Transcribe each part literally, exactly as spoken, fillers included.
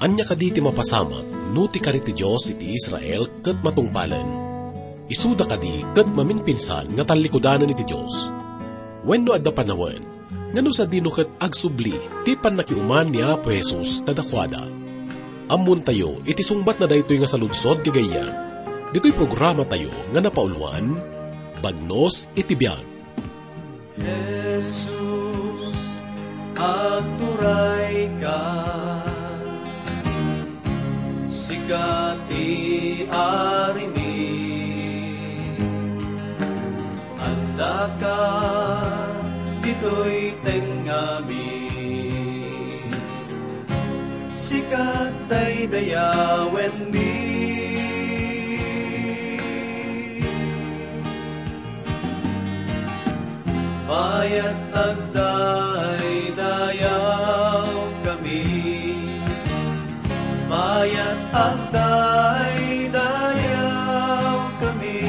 Ania kadi ti mapasamak no ti kari ti Dios iti Israel ket matungpalen? Isuda kadi ket maminpinsan nga tallikudanen iti Dios? Wenno adda panawen nga no sadino ket agsubli ti pannakiuman ni Apo Jesus kadakuada? Ammontayo iti sungbatna daytoy nga saludsod gagayyem ditoy programatayo nga napauluan, Bagnos iti Biag. Jesus, agturayka, sika ti Arimi. Addaka ditoy tengngami, sika daydayawenmi. Mayat agdaydayawkami, mayat agdaydayawkami,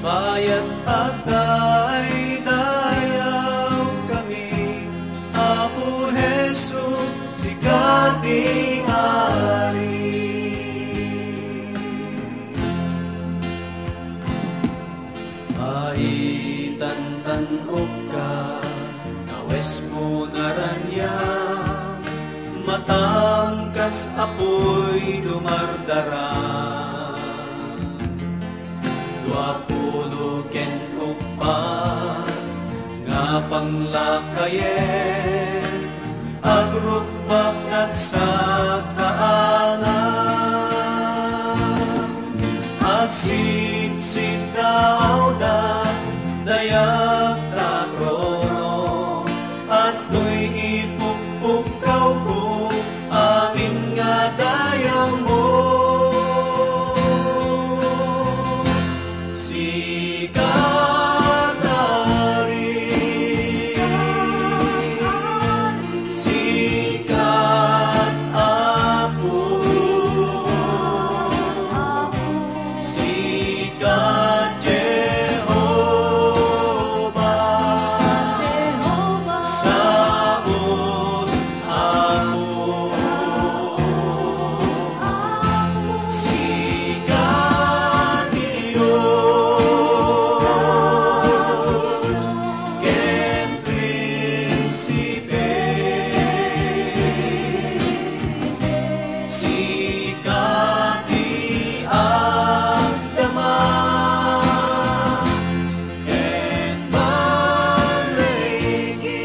mayat agdaydayawkami, Apo Jesus, sika ti Ari. Maitantan-okka, kawesmo naraniag, matam kas apuy dumardara. Dua pulo ken uppat nga panglakayen, agrukbak ket sakaanam. Agsitsiddawda, dayag ta trono, adtoy ipukpukkawko, amin nga dayawmo. Sika, Ari, sika, Apo, sika, Jehovah, Jehovah Sabaoth. Apo, sika ti Dios ken Prinsipe, sika ti agdama. Ket barreki,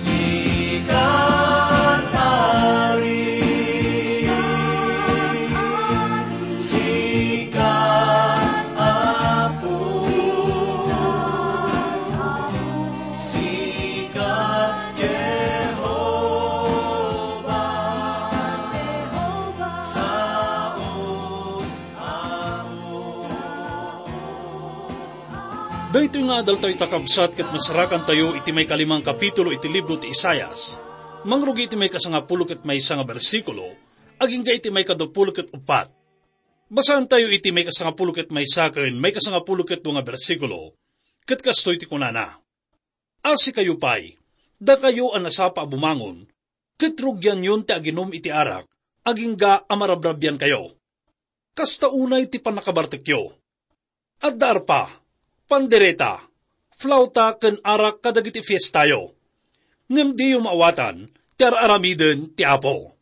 sika Ari, sika Apo, sika Jehovah, Sabaoth. Daytoy nga adaltayo ita, kabsat, ket masarakantayo iti maikalimang kapitulo iti libro ti Isaias. Mangrugi iti maikasangapulo ket maysa nga bersikulo, agingga iti maikaduapulo ket uppat. Basaantayo iti maikasangapulo ket maysa ken maikasangapulo ket dua nga bersikulo, ket kastoy ti kunana: Asikayo pay, dakayo a nasapa a bumangon, ket rugianyon ti aginum iti arak, agingga a marabrabiankayo. Kasta unay ti pannakabartekyo. Adda arpa, pandereta, flauta ken arak kadagiti fiestayo. Ngem diyo maawatan ti ar-aramiden ti Apo.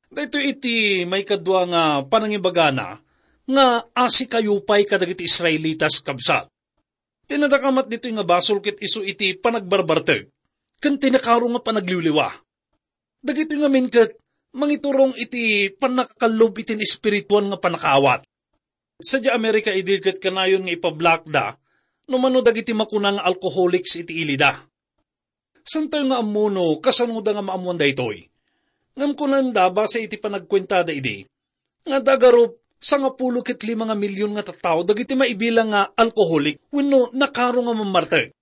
Daytoy iti maikadua nga panangibagana nga asikayo pay kadagiti Israelitas, kabsat. Ti nadakamat ditoy nga basol ket isu iti panagbarbartek ken ti nakaro nga panagliwliwa. Dagitoy ngamin ket mangiturong iti pannakakallob iti espirituan nga pannakaawat. Sadiay Amerika idi ket kanayon nga ipablaakda no mano dagiti makuna nga alcoholics iti ilida. Saantayo nga ammo no kasanoda nga maammoan daytoy. Ngem kunanda, base iti panagkuentada idi, nga adda garup sangapulo ket lima nga milyon nga tattao dagiti maibilang nga alkoholik wenno nakaro nga mammartek.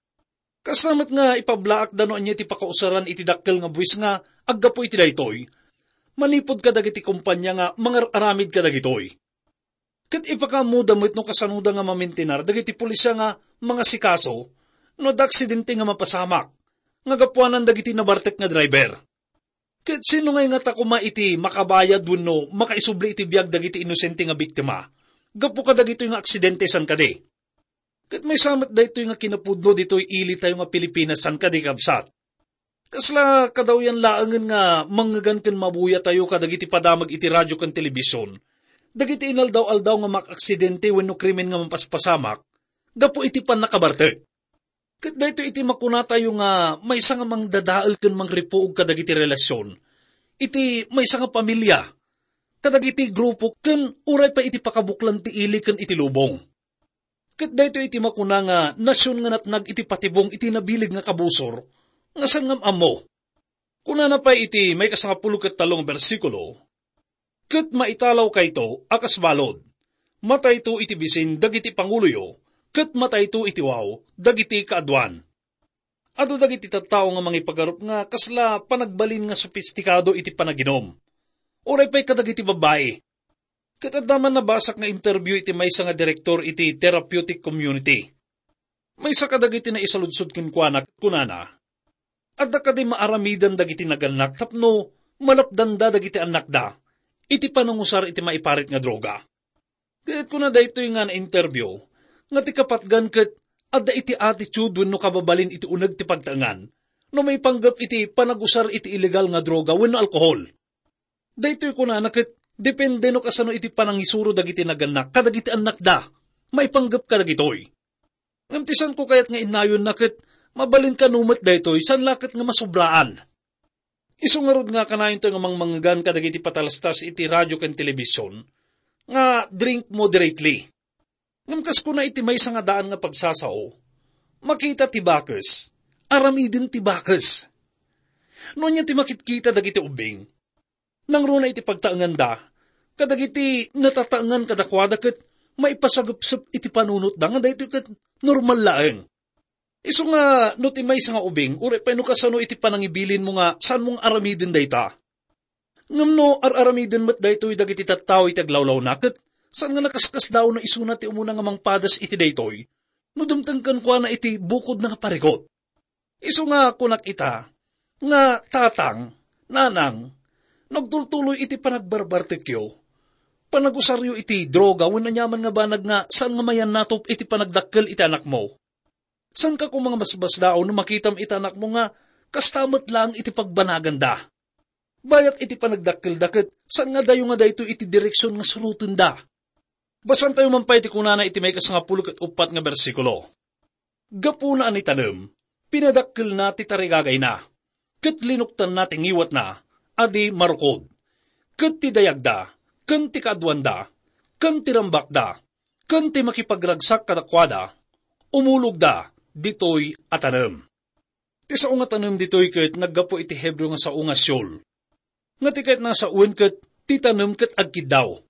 Kasta met nga ipablaakda no ania ti pakausaran iti dakkel nga buis nga aggapu iti daytoy, manipud kadagiti kompania nga mangar-aramid kadagitoy. Ket ipakaammoda met no kasanoda nga mamentenar dagiti pulisya nga mangasikaso no adda aksidente nga mapasamak, nga gapuanan dagiti nabartek nga driver. Ket sino ngay ngata koma iti makabayad wenno makaisubli iti biag dagiti inosente nga biktima gapu kadagitoy nga aksidente, saan kadi? Ket maysa met daytoy nga kinapudno ditoy ilitayo nga Pilipinas, saan kadi, kabsat? Kasla kadawyan laengen nga mangngegan ken mabuyatayo kadagiti padamag iti radio ken telebision, dagiti inaldaw-aldaw nga makaaksidente wenno krimen nga mapaspasamak gapu iti pannakabartek. Ket daytoy iti makunatayo nga maysa nga mangdadael ken mangripuog kadagiti relasion iti maysa nga pamilia, kadagiti grupo ken uray pay iti pakabuklan ti ili ken iti lubong. Ket daytoy iti makuna nga nasion nga natnag iti patibong iti nabileg nga kabusor nga saan nga am-ammo. Kunana pay iti maikasangapulo ket tallo nga bersikulo, "Ket maitalawkayto a kas balud. Matayto iti bisin dagiti panguloyo, ket matayto iti wow dagiti kaaduan." Adu dagiti tattao nga mangipagarup nga kasla panagbalin nga sopistikado iti panaginum. Uray pay kadagiti babbai. Ket adda man nabasak nga interview iti maysa nga direktor iti therapeutic community. Maysa kadagiti naisaludsod kenkuana ket kunana, "Adda kadi maaramidan dagiti nagannak tapno malapdanda dagiti annakda iti panangusar iti maiparit nga droga?" Ket kuna daytoy nga na-interview nga ti kapatgan ket adda iti attitude wenno kababalin iti uneg ti pagtaengan no maipanggep iti panagusar iti illegal nga droga wenno alkohol. Daytoy kunana ket depende no kasano iti panangisuro dagiti nagannak kadagiti annakda maipanggep kadagitoy. Ngem ti saanko kayat nga innayonna ket mabalin kano met daytoy, saan la ket nga masobraan. Isu ngarud nga kanayonto nga mangmangngegan kadagiti patalastas iti radio ken telebision nga drink moderately. Ngem kas kuna iti maysa nga daan nga pagsasao, makita ti bakes, aramiden ti bakes. No ania ti makitkita dagiti ubbing, nangruna iti pagtaenganda, kadagiti natataengan kadakuada ket maipasagepsep iti panunotda nga daytoy ket normal laeng. Isu nga no ti maysa nga ubing, uray pay no kasano iti panangibilinmo nga saanmo nga aramiden dayta. Ngem no ar-aramiden met daytoy dagiti tattao iti aglawlawna, ket saan nga nakaskasdaaw no isuna ti umuna nga mangpadas iti daytoy, no dumteng kenkuana iti bukodna nga parikut. Isu nga kunak ita, nga tatang, nanang, no agtultuloy iti panagbarbartekyo, panagusaryo iti droga wenno aniaman nga banag nga saan nga mayannatop iti panagdakkel iti anakmo. Saanka koma nga basbasdaon no makitam iti anakmo nga kasta met laeng iti pagbanaganda. Bayat iti panagdakkelda ket saan nga adayo nga daytoy iti direksion nga surotenda. Basaantayo man pay ti kunana iti maikasangapulo ket uppat nga bersikulo. Gapuna a nitanem, pinadakkelna ti tarigagayna, ket linuktanna ti ngiwatna a di marukod. Ket ti dayagda, ken ti kaaduanda, ken ti rambakda, ken ti makipagragsak kadakuada, umulogda ditoy a tanem. Ti sao nga tanem ditoy ket naggapu iti Hebreo nga sao nga Sheol, nga ti kayatna a sawen ket ti tanem ket agkiddaw.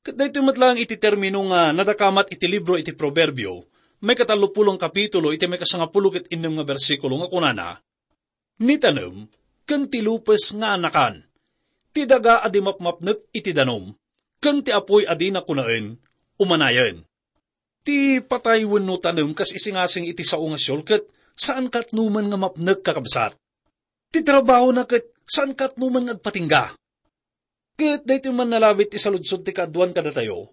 Ket daytoy met laeng iti termino nga nadakamat iti libro iti Proverbio, maikatallopulo nga kapitulo, iti maikasangapulo ket innem nga bersikulo, nga kunana, "Ni tanem ken ti lupes nga anakan, ti daga a di mapmapnek iti danum, ken ti apuy a dina kunaen, umanayen." Ti patay wenno tanem kas isingasing iti sao nga Sheol ket saan katnoman nga mapnek, kakabsat. Ti trabahona ket saan katnoman nga agpatingga. Ket daytoy man nalabit ti saludsod ti kaaduan kadatayo,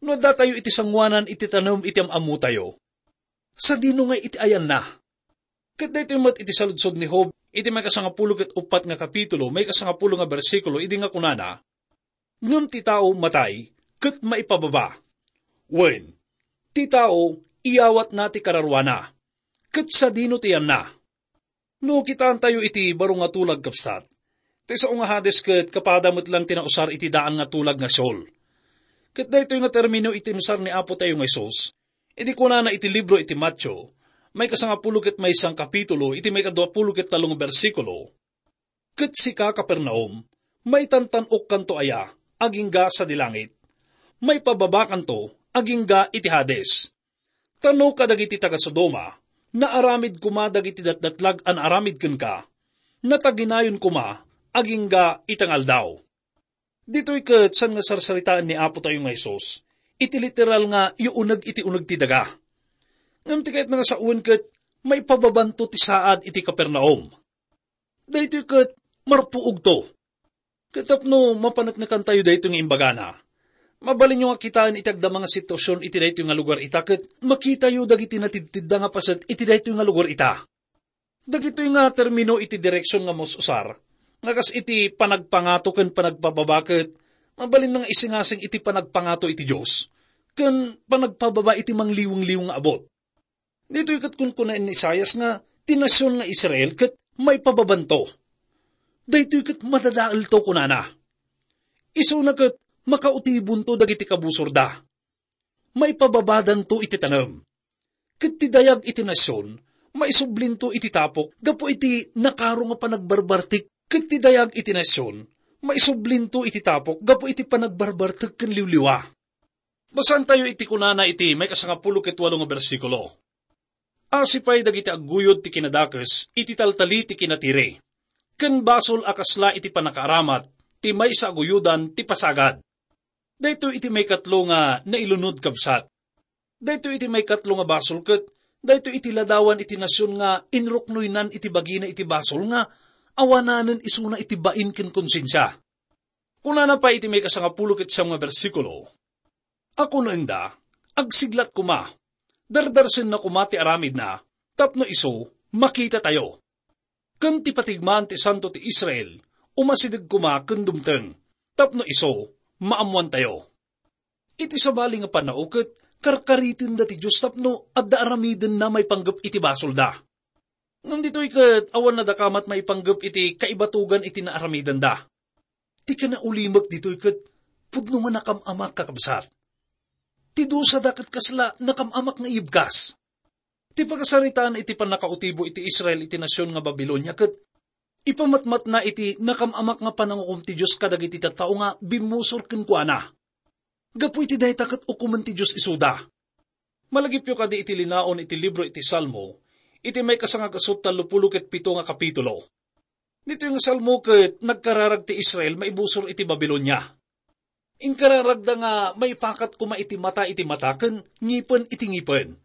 no addatayo iti sangoanan iti tanem iti am-ammotayo, sadino ngay iti ayanna? Ket daytoy met iti saludsod ni Job iti maikasangapulo ket uppat nga kapitulo, maikasangapulo nga bersikulo, idi nga kunana, "Ngem ti tao matay ket maipababa. Wen, ti tao iyawatna ti kararuana, ket sadino ti yanna?" No kitaentayo iti baro nga tulag, kabsat, ti sao nga Hades ket kapada met lang ti nausar iti daan nga tulag nga Sheol. Ket daytoy nga termino iti inusar ni Apo tayo nga Jesus, idi kunana iti libro iti Mateo, maikasangapulo ket maysa nga kapitulo, iti maikaduapulo ket tallo nga bersikulo, "Ket sika, Capernaum, maitantan-okkanto aya agingga sadi langit? Maipababakanto agingga iti Hades? Ta no kadagiti taga-Sodoma, naaramid koma dagiti datdatlag a naaramid kenka, nataginayon koma agingga ita nga aldaw." Ditoy ket saan nga sarsaritaen ni Apo tayo nga Jesus iti literal nga iuneg iti uneg ti daga. Ngem ti kayatna nga sawen ket maipababanto ti saad iti Capernaum. Daytoy ket marpuogto. Ket tapno mapaneknekantayo daytoy nga imbagana, mabalinyo nga kitaen iti agdama nga situasion iti daytoy nga lugar ita, ket makitayo dagiti natidtidda nga paset iti daytoy nga lugar ita. Dagitoy nga termino iti direksion nga mus-usar, nga kas iti panagpangato ken panagpababa, ket mabalin nga isingasing iti panagpangato iti Dios, ken panagpababa iti mangliwngaliw nga abut. Ditoy ket kunkunaen ni Isaias nga ti nasion nga Israel ket maipababanto. Daytoy ket madadaelto, kunana. Isuna ket makautibonto dagiti kabusorda. Maipababadanto iti tanem. Ket ti dayag iti nasion, maisublinto iti tapok gapu iti nakaro nga panagbarbartik, ket ti dayag iti nasion, maisublinto iti tapok gapu iti panagbarbartek ken liwliwa. Basaentayo iti kunana iti maikasangapulo ket walo nga bersikulo. Asi pay dagiti agguyod ti kinadakes iti taltali ti kinatiri, ken basol a kasla iti pannakaaramat ti maysa a guyodan ti pasagad. Daytoy iti maikatlo nga nailunod, kabsat. Daytoy iti maikatlo nga basol ket daytoy iti ladawan iti nasion nga inruknoynan iti bagina iti basol nga awananen isuna iti bain ken konsensia. Kunana pay iti maikasangapulo ket siam nga bersikulo, "Akunenda, agsiglat koma, dardarsenna koma ti aramidna, tapno isu, makitatayo. Ken ti patigmaan ti Santo ti Israel, umasideg koma ken dumteng, tapno isu, maammoantayo." Iti sabali nga pannao ket karkaritenda ti Dios tapno adda aramidenna maipanggep iti basolda. Ngem ditoy ket awan nadakamat maipanggep iti kaibatogan iti naaramidenda. Ti kinaulimek ditoy ket pudno nga nakam-amak, kakabsat. Ti dusada ket kasla nakam-amak nga ibkas. Ti pakasaritaan iti pannakautibo iti Israel iti nasion nga Babilonia ket ipamatmatna iti nakam-amak nga panangukom ti Dios kadagiti tattao nga bimmusor kenkuana. Gapu iti dayta ket ukomen ti Dios isuda. Malagipyo kadi iti linaon iti libro iti Salmo, iti maikasangagasut tallopulo ket pito nga kapitulo. Ditoy nga Salmo ket nagkararag ti Israel maibusor iti Babilonia. Inkararagda nga maipakat koma iti mata iti mata ken ngipen iti ngipen.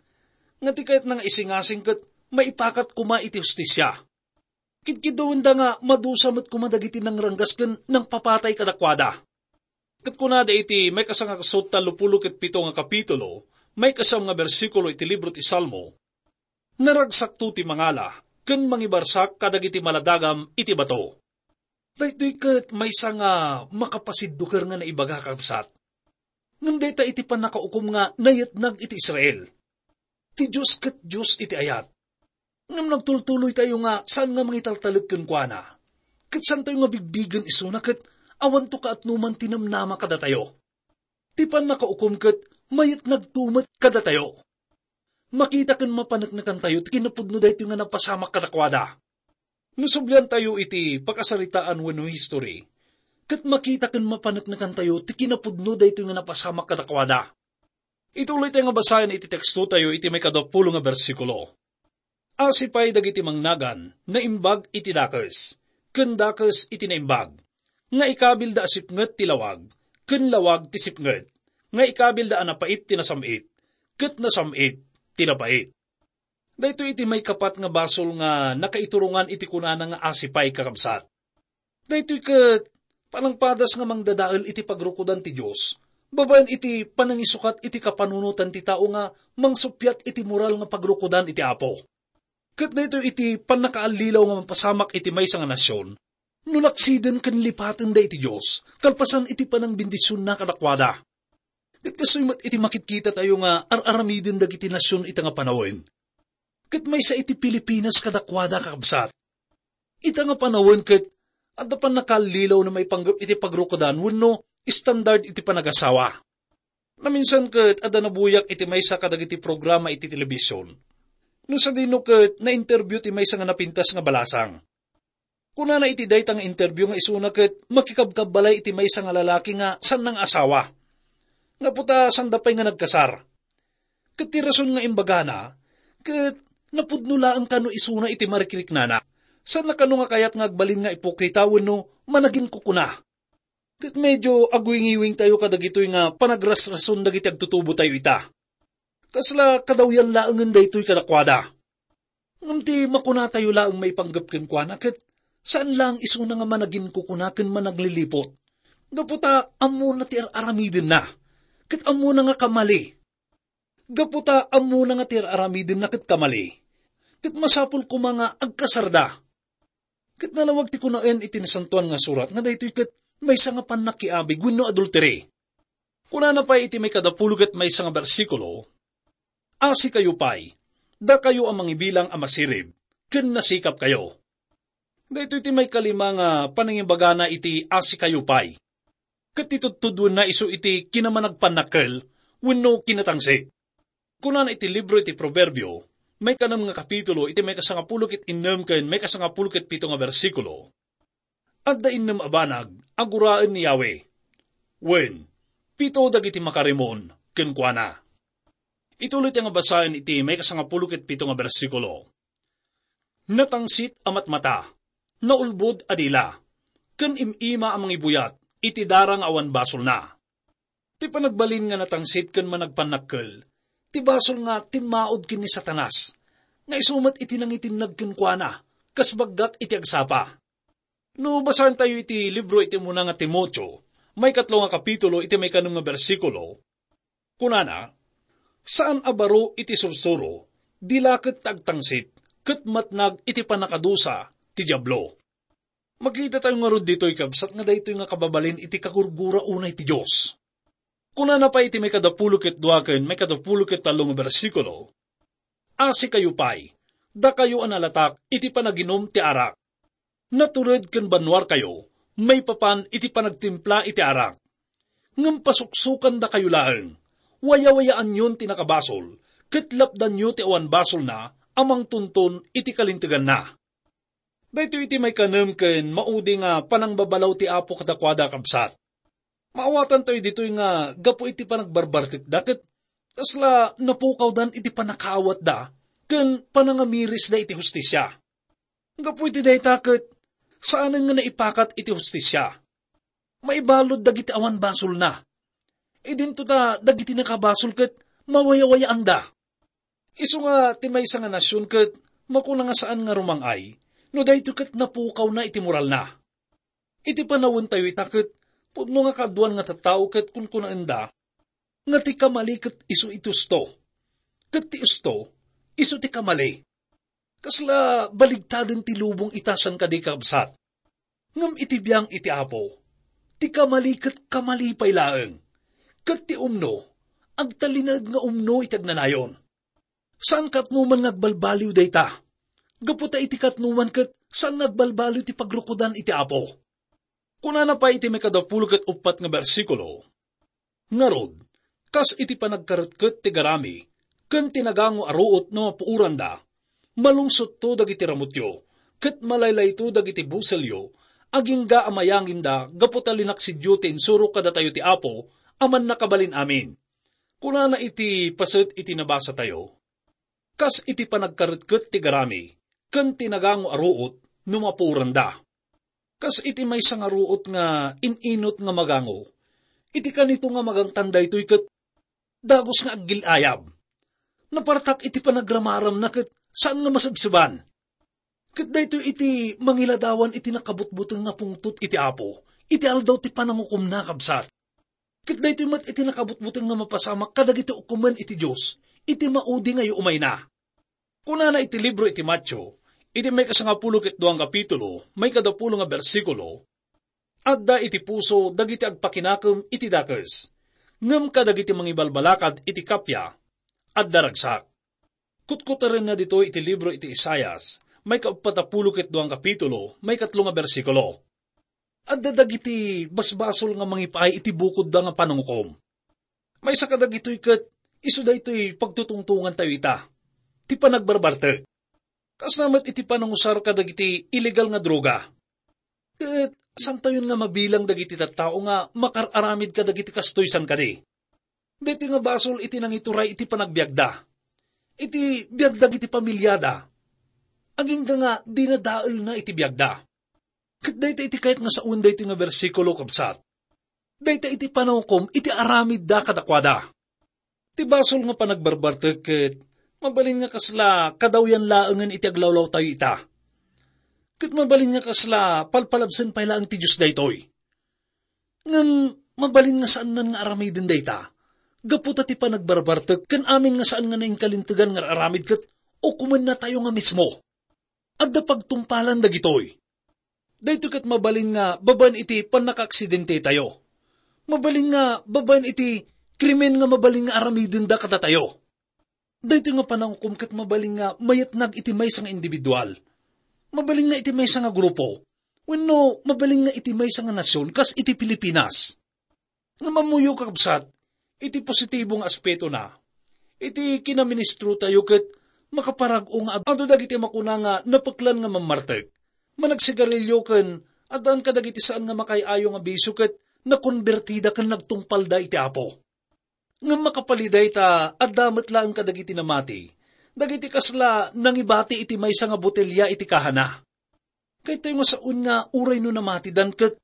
Nga ti kayatna nga isingasing ket maipakat koma iti hustisia. Kidkiddawenda nga madusa met koma dagiti nangranggas ken nangpapatay kadakuada. Ket kunada iti maikasangagasut tallopulo ket pito nga kapitulo, maikasiam nga bersikulo iti libro ti Salmo, "Naragsakto ti mangala ken mangibarsak kadagiti maladagam iti bato." Daytoy ket maysa nga makapasidduker nga naibaga, kakabsat. Ngem dayta iti pannakaukom nga nayetnag iti Israel. Ti Dios ket Dios iti ayat. Ngem nagtultuloytayo nga saan nga mangitaltalek kenkuana. Ket saantayo nga bigbigen isuna ket awanto kaatnoman ti namnama kadatayo. Ti pannakaukom ket mayatnagto met kadatayo. Makita ken mapaneknekantayo ti kinapudno daytoy nga napasamak kadakuada. No subliantayo iti pakasaritaan wenno history, ket makita ken mapaneknekantayo ti kinapudno daytoy nga napasamak kadakuada. Ituloytayo nga basaen iti tekstotayo iti maikadapulo nga bersikulo. Asi pay dagiti mangnagan, naimbag iti dakes, ken dakes iti naimbag, nga ikabilda a sipnget ti lawag, ken lawag ti sipnget, nga ikabilda a napait ti nasam-it, ket nasam-it ti napait. Daytoy iti maikapat nga basol nga nakaiturongan iti kunana nga asi pay, kakabsat. Daytoy ket panangpadas nga mangdadael iti pagrukodan ti Dios, babaen iti panangisukat iti kapanunotan ti tao nga mangsuppiat iti moral nga pagrukodan iti Apo. Ket daytoy iti pannakaallilaw nga mapasamak iti maysa nga nasion, no laksiden ken lipatenda iti Dios, kalpasan iti panangbendisionna kadakuada. Ket kastoy met iti makitkitatayo nga ar-aramiden dagiti nasion ita nga panawen. Ket maysa iti Pilipinas kadakuada, kakabsat. Ita nga panawen ket adda pannakaallilaw nga maipanggep iti pagrukodan wenno standard iti panagasawa. Naminsan ket adda nabuyak iti maysa kadagiti programa iti telebision. No sadino ket na-interview ti maysa nga napintas nga balasang. Kunana iti dayta nga interview nga isuna ket makikabkabbalay iti maysa nga lalaki nga saan nga asawa. Nga puta sanda pay nga nagkasar. Ket ti rason nga imbagana, ket napudno laeng kano isuna iti marikriknana. Saan kano nga kayat nga agbalin nga ipokrita wenno managinkukuna. Ket medio agwingiwingtayo kadagitoy nga panagrasrason dagiti agtutubotayo ita. Kasla kadawyan laengen daytoy kadakuada. Ngem ti makunatayo laeng maipanggep kenkuana ket saan laeng isuna nga managinkukuna ken managliliput. Gapu ta ammona ti ar-aramidenna, ket ammona nga kamali. Gapu ta ammona nga ti ar-aramidenna ket kamali, ket masapul koma nga agkasarda. Ket nalawag ti kunaen iti Nasantoan nga Surat nga daytoy ket maysa nga pannakiabig wenno adulteri. Kunana pay iti maikadapulo ket maysa nga bersikulo, "Asikayo pay, dakayo a mangibilang a masirib, ken nasikapkayo." Daytoy ti maikalima nga panangibagana iti "asikayo pay." Ket ti tudtuduenna isu iti kinamanagpannakkel wenno kinatangsit. Kunana iti libro iti Proverbio, maikanem nga kapitulo, iti maikasangapulo ket innem ken maikasangapulo ket pito nga bersikulo, "Adda innem a banag a guraen ni Yahweh, wen, pito dagiti makarimon kenkuana." Ituloy ti nga basaen iti maikasangapulo ket pito nga bersikulo, "Natangsit a matmata, naulbod a dila, ken im-ima a mangibuyat iti dara nga awan basolna." Ti panagbalin nga natangsit ken managpannakkel, ti basol nga timmaud ken ni Satanas, nga isu met iti nangitinnag kenkuana, kas baggat iti agsapa. No basaentayo iti libro iti umuna nga Timoteo, maikatlo nga kapitulo, iti maikanem nga bersikulo, kunana, "Saan a baro iti sursuro, dila ket ta agtangsit, ket matnag iti pannakadusa ti Diablo." Makitatayo ngarud ditoy, kabsat, nga daytoy nga kababalin iti kagurgura unay ti Dios. Kunana pay iti maikadapulo ket dua ken maikadapulo ket tallo nga bersikulo, "Asikayo pay, dakayo a nalatak iti panaginum ti arak. Natured ken bannuarkayo maipapan iti panagtimpla iti arak. Ngem pasuksukandakayo laeng, wayawayaanyon ti nakabasol, ket lapdanyo ti awan basolna a mangtunton iti kalinteganna." Daytoy iti maikanem ken maudi nga panangbabalaw ti Apo kadakuada, kabsat. Maawatantayo ditoy nga gapu iti panagbarbartekda ket kasla napukawdan iti pannakaawatda ken panangamirisda iti hustisia. Gapu iti dayta ket saanen nga naipakat iti hustisia. Maibalud dagiti awan basolna. Idinto ta dagiti nakabasol ket mawayawayaanda. Isu nga ti maysa nga nasion ket makuna nga saan nga rumang-ay no daytoy ket napukawna iti moralna. Iti panawentayo ita ket pudno nga kaaduan nga tattao ket kunkunaenda nga ti kamali ket isu iti usto, ket ti usto isu ti kamali. Kasla baligtaden ti lubong ita, saan kadi, kabsat? Ngem iti biang iti Apo, ti kamali ket kamali pay laeng, ket ti umno, agtalinaed nga umno iti agnanayon. Saan katnoman nga agbalbaliw dayta, gapu ta iti katnoman ket saan nga agbalbaliw ti pagrukodan iti Apo. Kunana pay iti maikadapulo ket uppat nga bersikulo, "Ngarud, kas iti panagkaretket ti garami ken ti nagango a ruot no mapuoranda, malungsotto dagiti ramutyo, ket malaylayto dagiti buselyo, agingga a mayanginda gapu ta linaksidyo ti insuro kadatayo ti Apo a Mannakabalin-amin." Kunana iti paset iti nabasatayo, "Kas iti panagkaretket ti garami ken ti nagango a ruot no mapuoranda. Kas iti maysa nga ruot nga in-inut nga magango, iti kanito nga magangtan daytoy ket dagus nga aggil-ayab. Napartak iti panagramaramna ket saan nga masebseban. Ket daytoy iti mangiladawan iti nakabutbuteng nga pungtot iti Apo iti aldaw ti panangukomna, kabsat. Ket daytoy met iti nakabutbuteng nga mapasamak kadagiti ukomen iti Dios iti maudi nga umayna." Kunana iti libro iti Mateo, iti maikasangapulo ket dua nga kapitulo, maikadapulo nga bersikulo, "Adda iti puso dagiti agpakinakem iti dakes, ngem kadagiti mangibalbalakad iti kappia, adda ragsak." Kutkuterenna ditoy iti libro iti Isaias, maikauppat a pulo ket dua nga kapitulo, maikatlo nga bersikulo. Adda dagiti basbasol nga mangipaay iti bukodda nga panangukom. Maysa kadagitoy ket isu daytoy pagtutungtongantayo ita, ti panagbarbartek. Kasna met iti panangusar kadagiti illegal nga droga. Ket santayon nga mabilang dagiti tattao nga makar-aramid kadagiti kastoy, saan kadi? Daytoy nga basol iti nangituray iti panagbiagda, iti biag dagiti pamiliada, agingga nga dinadaelna iti biagda. Ket dayta iti kayat nga sawen daytoy nga bersikulo, kabsat. Dayta iti panangukom iti aramidda kadakuada. Ti basol nga panagbarbartek ket Mabalin nga kasla kadawyan laengen iti aglawlawtayo ita. Ket mabalin nga kasla palpalabsen pay laeng ti Dios daytoy. Ngem mabalin nga saannan nga aramiden dayta. Gapu ta ti panagbarbartek ken amin nga saan nga nainkalintegan nga aramid ket ukomennatayo nga mismo. Adda pagtungpalan dagitoy. Daytoy ket mabalin nga babaen iti pannakaaksidentetayo. Mabalin nga babaen iti krimen nga mabalin nga aramidenda kadatayo. Daytoy nga panangukom ket mabalin nga mayatnag iti maysa nga individual. Mabalin nga iti maysa nga grupo. Wenno mabalin nga iti maysa nga nasion kas iti Pilipinas. Ngem ammoyo, kakabsat, iti positibo nga aspetona. Iti kinaministrotayo ket makaparag-o nga adu dagiti makuna nga napeklan nga mammartek. Managsigarilio ken addaan kadagiti saan nga makaay-ayo nga bisio ket nakonbertida ken nagtungpalda iti Apo. Ngem makapalida ita, adda met laeng kadagiti namati, dagiti kasla nangibati iti maysa nga botelia iti kahana. Kayatyo nga saon nga uray no namatidan ket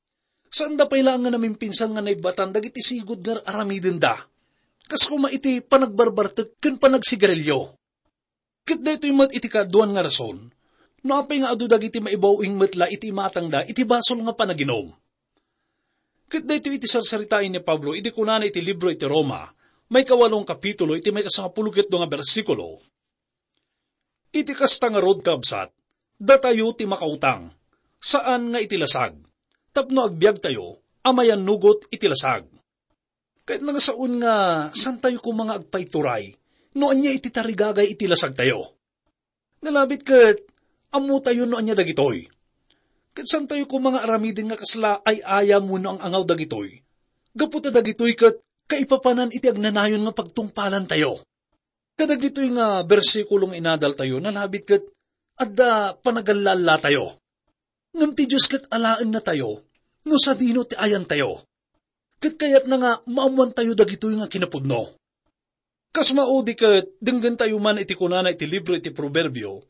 saanda pay laeng nga namimpinsan nga naibbatan dagiti sigud nga aramidenda. Kas koma iti panagbarbartek ken panagsigarilio. Ket daytoy met iti kaaduan nga rason, no apay nga adu dagiti maibaw-ing met la iti imatangda iti basol nga panaginum. Ket daytoy iti sarsaritaen ni Pablo idi kunana iti libro iti Roma, maikawalong kapitulo, iti maikasangapulo ket dua nga bersikulo, "Iti kasta ngarud, kabsat, datayo ti makautang, saan nga iti lasag, tapno agbiagtayo a mayannugot iti lasag." Ket nangasaon nga santayo koma nga agpaituray no ania iti tarigagay iti lasagtayo. Nalabit ket ammotayo no ania dagitoy. Ket santayo koma nga aramiden nga kasla ay-ayam wenno ang-angaw dagitoy. Gapu ta dagitoy ket kaipapanan iti agnanayon nga pagtungpalantayo. Kadagitoy nga bersikulo nga inadaltayo, nalabit ket adda panagallallatayo. Ngem ti Dios ket alaennatayo no sadino ti ayantayo. Ket kayatna nga maammoantayo dagitoy nga kinapudno. Kas maudi ket denggentayo man iti kunana iti libro iti Proverbio,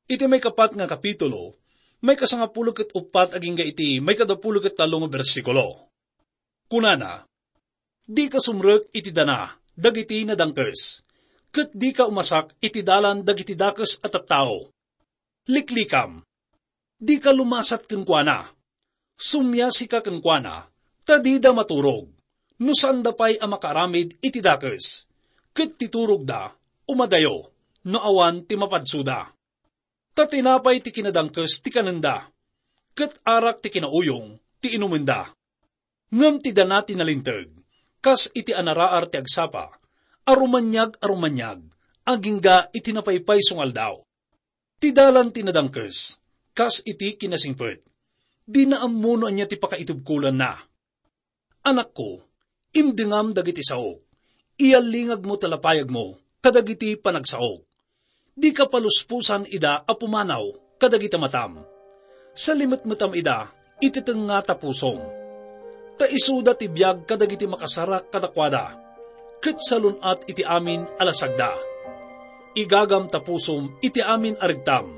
iti maikapat nga kapitulo, maikasangapulo ket uppat agingga iti maikadapulo ket tallo nga bersikulo. Kunana, "Dika sumrek iti dana dagiti nadangkes, ket dika umasak iti dalan dagiti dakes a tattao. Liklikam, dika lumasat kenkuana. Sumiasika kenkuana, ta dida maturog, no saanda pay a makaaramid iti dakes. Ket ti turogda, umadayo, no awan ti mapadsoda. Ta tinapay ti kinadangkes ti kanenda, ket arak ti kinauyong ti inumenda. Ngem ti dana ti nalinteg, kas iti anaraar ti agsapa, a rumaniag a rumaniag, agingga iti napaypayso nga aldaw. Ti dalan ti nadangkes, kas iti kinasingpet, dina ammo no ania ti pakaitubkolanna. Anakko, imdengam dagiti saok, iyallingagmo ta lapayagmo kadagiti panagsaok. Dika paluspusan ida a pumanaw kadagiti matam. Salimetmetam ida iti tengnga ta pusom. Ta isuda ti biag kadagiti makasarak kadakuada, ket salun-at iti amin a lasagda. Igagam ta pusom iti amin a regtam,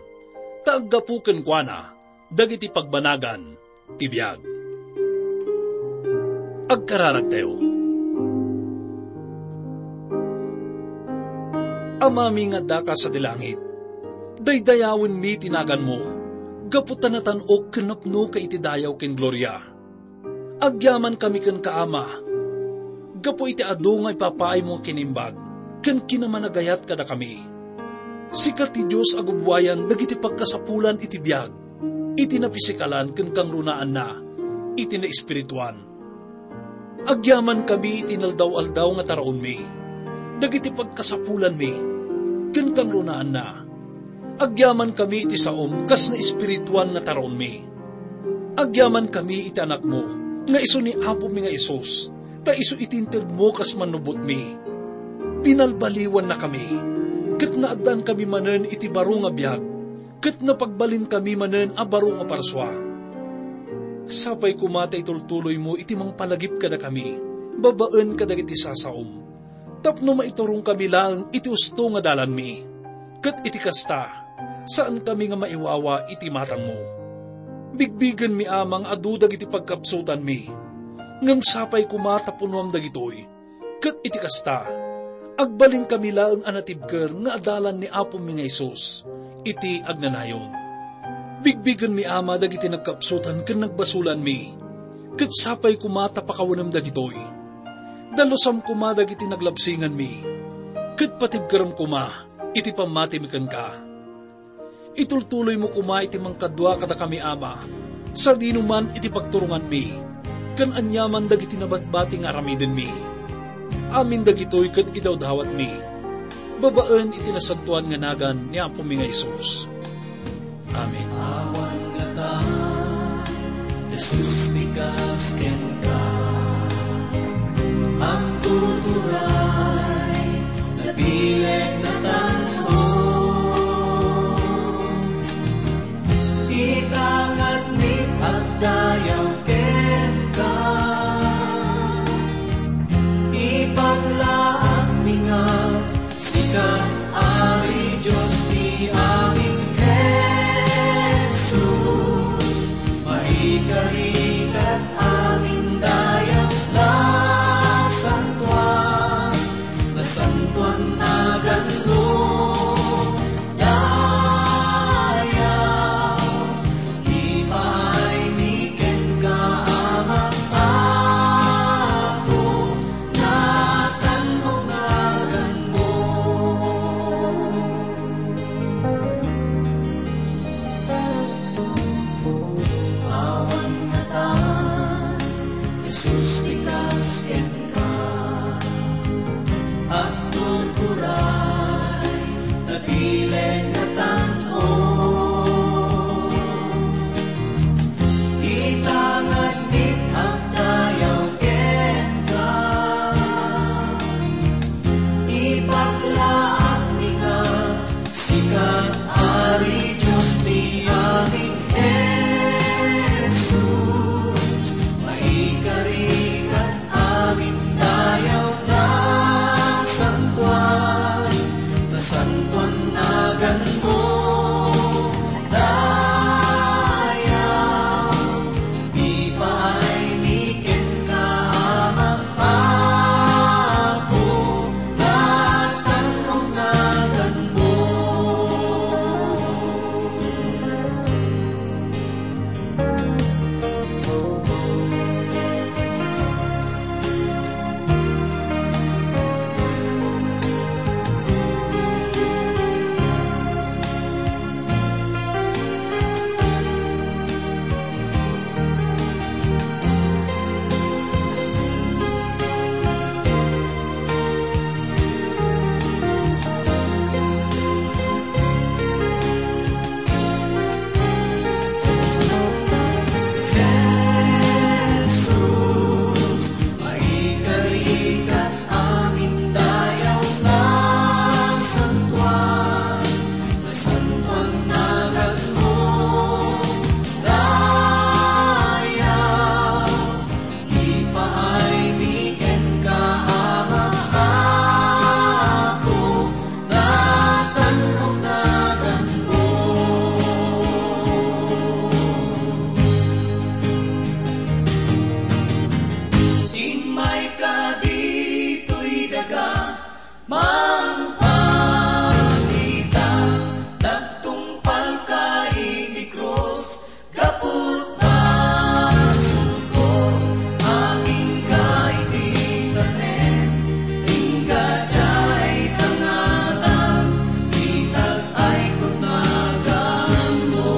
ta aggapu kenkuana dagiti pagbanagan ti biag." Agkararagtayo. Amami nga addaka sadi langit, daydayawenmi ti naganmo, gapu ta natan-ok ken napnoka iti dayaw ken gloria. Agyamankami kenka, Ama, gapu iti adu nga ipapaaymo nga kinimbag ken kinamanagayat kadakami. Sika ti Dios a gubbuayan dagiti pagkasapulan iti biag, iti napisikalan ken kangrunaanna iti naespirituan. Agyamankami iti inaldaw-aldaw nga taraonmi, dagiti pagkasapulanmi, ken kangrunaanna. Agyamankami iti saom kas naespirituan nga taraonmi. Agyamankami iti Anakmo, nga isu ni Apomi nga Jesus, ta isu iti integmo kas mannubotmi. Binalbaliwannakami, ket naaddaankami manen iti baro nga biag, ket napagbalinkami manen a baro nga parsua. Sapay koma ta itultuloymo iti mangpalagip kadakami babaen kadagiti sasaom, tapno maiturongkami laeng iti usto nga dalanmi. Ket iti kasta, saankami nga maiwawa iti matangmo. Bigbigenmi, Ama, nga adu dagiti pagkapsutanmi, ngem sapay koma ta punuam dagitoy. Ket iti kasta, Agbalinkami laeng a natibker nga adalan ni Apomi nga Jesus iti agnanayon. Bigbigenmi, Ama, dagiti nagkapsutan ken nagbasolanmi, ket sapay koma ta pakawanem dagitoy. Dalusam koma dagiti naglabsinganmi, ket patibkerem koma iti pammatimi kenka. Itultuloymo koma iti mangkadua kadakami, Ama, sadino man iti pagturonganmi, ken aniaman dagiti nabatbati nga aramidenmi. Amin dagitoy ket idawdawatmi babaen iti nasantoan nga nagan ni Apomi nga Jesus. Amen. Awan ngata, Jesus, ti kas kenka. Agtuturay, nabileg, natanong. Itangadmi agdayaw kenka. Ipaglaanmi nga sika, Ari Dios ti amin, Jesus, maikari kat amin dayaw, nasantoan, nasantoan naganmo, dayaw, ipaaymi kenka, Ama, Apo, natanong naganmo. Awan ngata, Jesus, ti kas kenka. Agturturay, nabileg, natanong. Itangadmi agdayaw kenka. Ipaglaanmi nga sika, Ari Dios ti amin, Jesus, maikari kat amin dayaw, nasantoan, nasantoan naganmo, dayaw, ipaaymi kenka, Ama, Apo, natanong naganmo. Jesus, maikari kat amin dayaw, nasantoan, nasantoan naganmo, dayaw, ipaaymi kenka, Ama, Apo, natanong naganmo. Immayka ditoy daga, mangpakita, nagtungpalka iti krus, gapu ta sungko, agingga iti tanem, ingga diay tangatam, itag-aykon naganmo.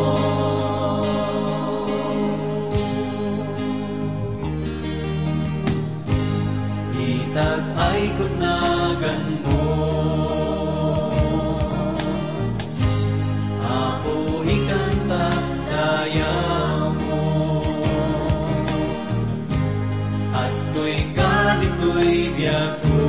Itag-aykon naganmo. Apo, ikantak dayawmo. Adtoyka ditoy biagko.